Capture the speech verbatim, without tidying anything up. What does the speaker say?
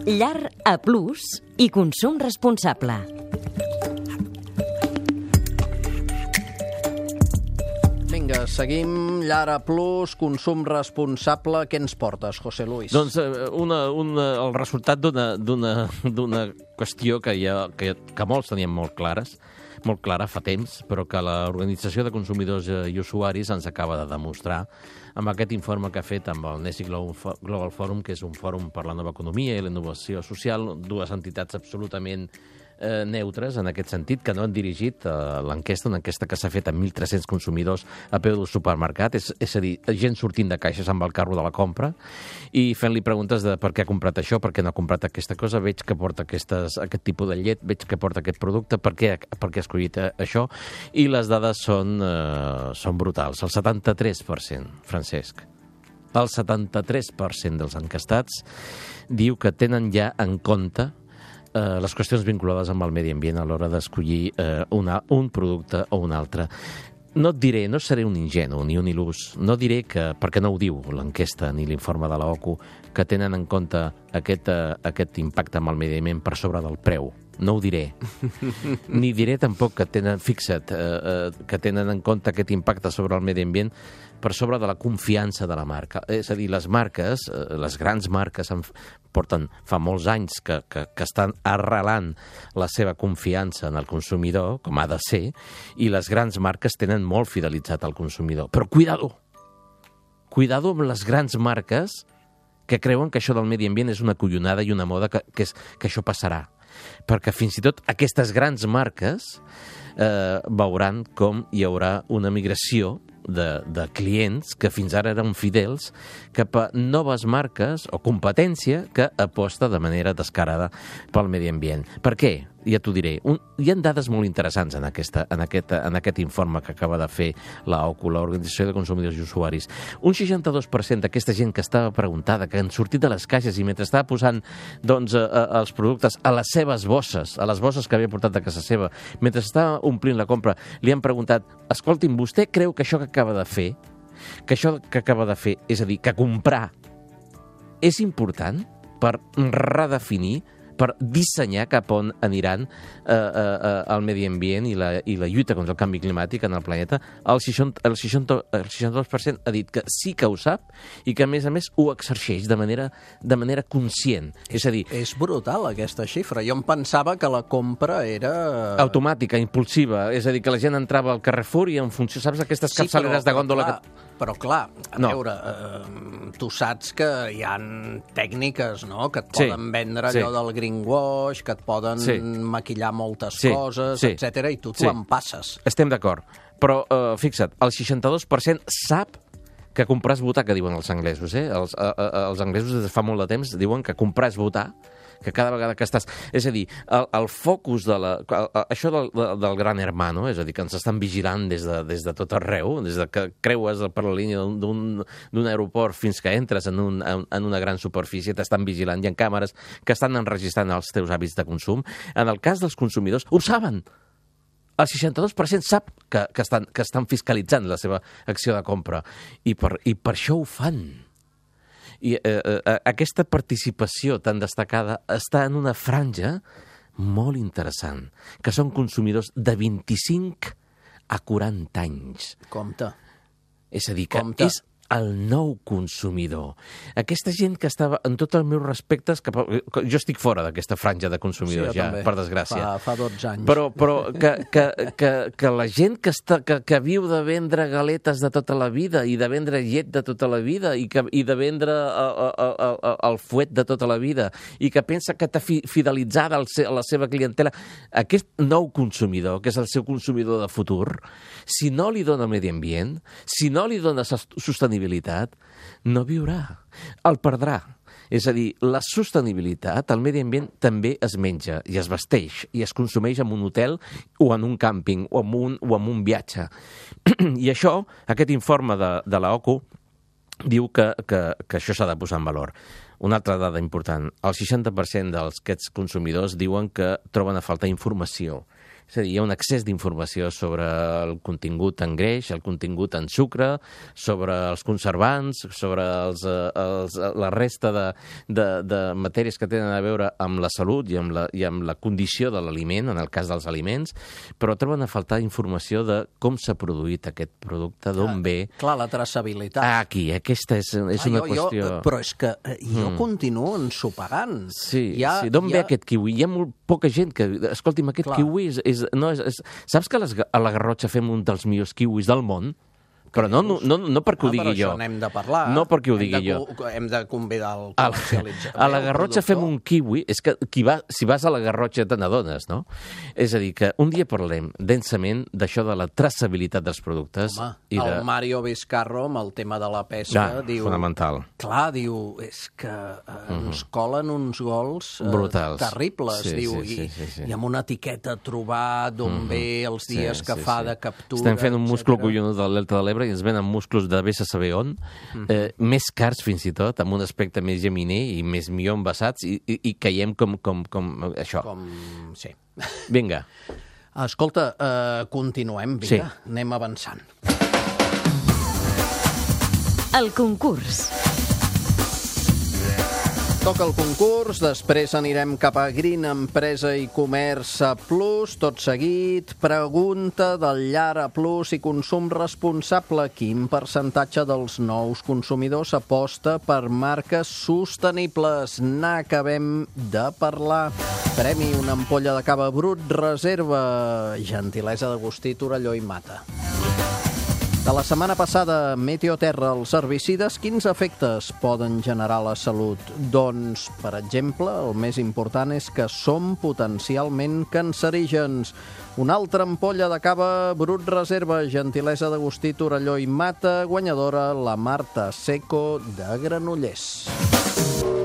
Llar A plus i consum responsable. Vinga, seguim. Llar A plus, consum responsable. Què ens portes, José Luis? Doncs una, una, el resultat d'una qüestió que, ha, que, que molts tenien molt clares, molt clara fa temps, però que l'Organització de Consumidors i Usuaris ens acaba de demostrar amb aquest informe que ha fet amb el Neci Global Forum, que és un fòrum per la nova economia i la innovació social, dues entitats absolutament eh, neutres en aquest sentit, que no han dirigit eh, l'enquesta, una enquesta que s'ha fet amb mil tres-cents consumidors a peu del supermercat, és, és a dir, gent sortint de caixes amb el carro de la compra i fent-li preguntes de per què ha comprat això, per què no ha comprat aquesta cosa, veig que porta aquestes, aquest tipus de llet, veig que porta aquest producte, per què, per què ha escollit això, i les dades són, eh, són brutals. El setanta-tres per cent, Francesc, el setanta-tres per cent dels enquestats diu que tenen ja en compte eh, les qüestions vinculades amb el medi ambient a l'hora d'escollir eh, una, un producte o un altre. No et diré, no seré un ingenu ni un il·lús, no diré que, perquè no ho diu l'enquesta ni l'informe de l'OCU, que tenen en compte aquest, eh, aquest impacte amb el medi ambient per sobre del preu. No ho diré. Ni diré tampoc que tenen, fixa't, eh, eh, que tenen en compte aquest impacte sobre el medi ambient per sobre de la confiança de la marca. És a dir, les marques, eh, les grans marques, en, porten fa molts anys que, que, que estan arrelant la seva confiança en el consumidor, com ha de ser, i les grans marques tenen molt fidelitzat el consumidor. Però cuidado! Cuidado amb les grans marques que creuen que això del medi ambient és una collonada i una moda, que, que, és, que això passarà. Perquè fins i tot aquestes grans marques eh, veuran com hi haurà una migració de, de clients que fins ara eren fidels cap a noves marques o competència que aposta de manera descarada pel medi ambient. Per què? Ja t'ho diré. Un, hi ha dades molt interessants en, aquesta, en, aquest, en aquest informe que acaba de fer l'OCU, l'Organització de Consumidors i Usuaris. Un seixanta-dos per cent d'aquesta gent que estava preguntada, que han sortit de les caixes i mentre estava posant doncs, a, a, els productes a les seves bosses, a les bosses que havia portat de casa seva, mentre estava omplint la compra, li han preguntat: escolti'm, vostè creu que això que acaba de fer, que això que acaba de fer, és a dir, que comprar és important per redefinir, per dissenyar cap on aniran eh, eh, el medi ambient i la, i la lluita contra el canvi climàtic en el planeta? El seixanta, el seixanta, el seixanta-dos per cent ha dit que sí que ho sap i que, a més a més, ho exerceix de manera, de manera conscient. És a dir... És brutal, aquesta xifra. Jo em pensava que la compra era... automàtica, impulsiva. És a dir, que la gent entrava al Carrefour i en funció, saps, aquestes capçaleres sí, de gòndola... Clar, que... Però, clar, a no. veure, eh, tu saps que hi ha tècniques, no?, que et sí, poden vendre sí. allò del greenwash, que et poden sí. maquillar moltes sí, coses, sí, etcètera, i tu sí. t'ho en passes. Estem d'acord. Però, eh, fixa't, el seixanta-dos per cent sap que comprar és votar, que diuen els anglesos, eh? Els, eh, els anglesos des de fa molt de temps diuen que comprar és votar, que cada vegada que estàs... És a dir, el, el focus de la... El, això del, del gran hermano, és a dir, que ens estan vigilant des de, des de tot arreu, des de que creues per la línia d'un aeroport fins que entres en, un, en una gran superfície, t'estan vigilant, hi ha càmeres que estan enregistrant els teus hàbits de consum. En el cas dels consumidors, ho saben! El seixanta-dos per cent sap que, que, estan, que estan fiscalitzant la seva acció de compra i per, i per això ho fan. I eh, eh, aquesta participació tan destacada està en una franja molt interessant, que són consumidors de vint-i-cinc a quaranta anys. Compte. És a dir, que Compte. és el nou consumidor. Aquesta gent que estava, en tots els meus respectes, que, jo estic fora d'aquesta franja de consumidors, sí, ja, també. per desgràcia. Fa, fa dotze anys. Però, però que, que, que, que la gent que, està, que, que viu de vendre galetes de tota la vida i de vendre llet de tota la vida i, que, i de vendre el fuet de tota la vida i que pensa que està fi, fidelitzada a la seva clientela, aquest nou consumidor, que és el seu consumidor de futur, si no li dona medi ambient, si no li dona sostenibilitat, no viurà, el perdrà. És a dir, la sostenibilitat, el medi ambient, també es menja i es vesteix i es consumeix en un hotel o en un càmping o en un, o en un viatge. I això, aquest informe de, de l'OCU diu que, que, que això s'ha de posar en valor. Una altra dada important, el seixanta per cent dels aquests consumidors diuen que troben a faltar informació És a dir, hi ha un excés d'informació sobre el contingut en greix, el contingut en sucre, sobre els conservants, sobre els, els, la resta de, de, de matèries que tenen a veure amb la salut i amb la, i amb la condició de l'aliment, en el cas dels aliments, però troben a faltar informació de com s'ha produït aquest producte, d'on ve. Clar, la traçabilitat. Ah, aquí, aquesta és, és ah, una jo, qüestió... Jo, però és que jo mm. continuo ensopegant. Sí, ha, sí. d'on ha... ve aquest kiwi? Hi ha molt poca gent que... Escolti'm, aquest Clar. kiwi és... és, no, és, és... Saps que a, les, a la Garrotxa fem un dels millors kiwis del món? Però no, no, no, no perquè ho digui ah, jo. Però n'hem de parlar. No perquè ho hem digui de, jo. Hem de convidar el comercialitzador. A la Garrotxa fem un kiwi. És que qui va, si vas a la Garrotxa te n'adones, no? És a dir, que un dia parlem densament d'això de la traçabilitat dels productes. Home, i de... el Mario Vizcarro, amb el tema de la pesca, ah, diu... fonamental. Clar, diu, és que eh, ens colen uns gols eh, brutals. Terribles, sí, diu, sí, sí, sí, sí. I, i amb una etiqueta trobar d'on mm-hmm. ve, els dies sí, que sí, fa sí. de captura... Estem fent un múscul collonut de l'Elta de l'Ebre i ens venen músculs de vés a saber on, mm-hmm. eh, més cars fins i tot, amb un aspecte més geminer i més millor envasats, i, i, i caiem com, com, com això. Com... sí. Vinga. Escolta, eh, continuem, vinga, sí. anem avançant. El concurs. Toca el concurs, després anirem cap a Green Empresa i Comerç Plus, tot seguit, pregunta del Llar A Plus i consum responsable. Quin percentatge dels nous consumidors aposta per marques sostenibles? N'acabem de parlar. Premi una ampolla de cava Brut Reserva, gentilesa d'Agustí Torelló i Mata. De la setmana passada, Meteoterra, els herbicides, quins efectes poden generar a la salut? Doncs, per exemple, el més important és que són potencialment cancerígens. Una altra ampolla de cava Brut Reserva, gentilesa d'Agustí Torelló i Mata, guanyadora, la Marta Seco de Granollers.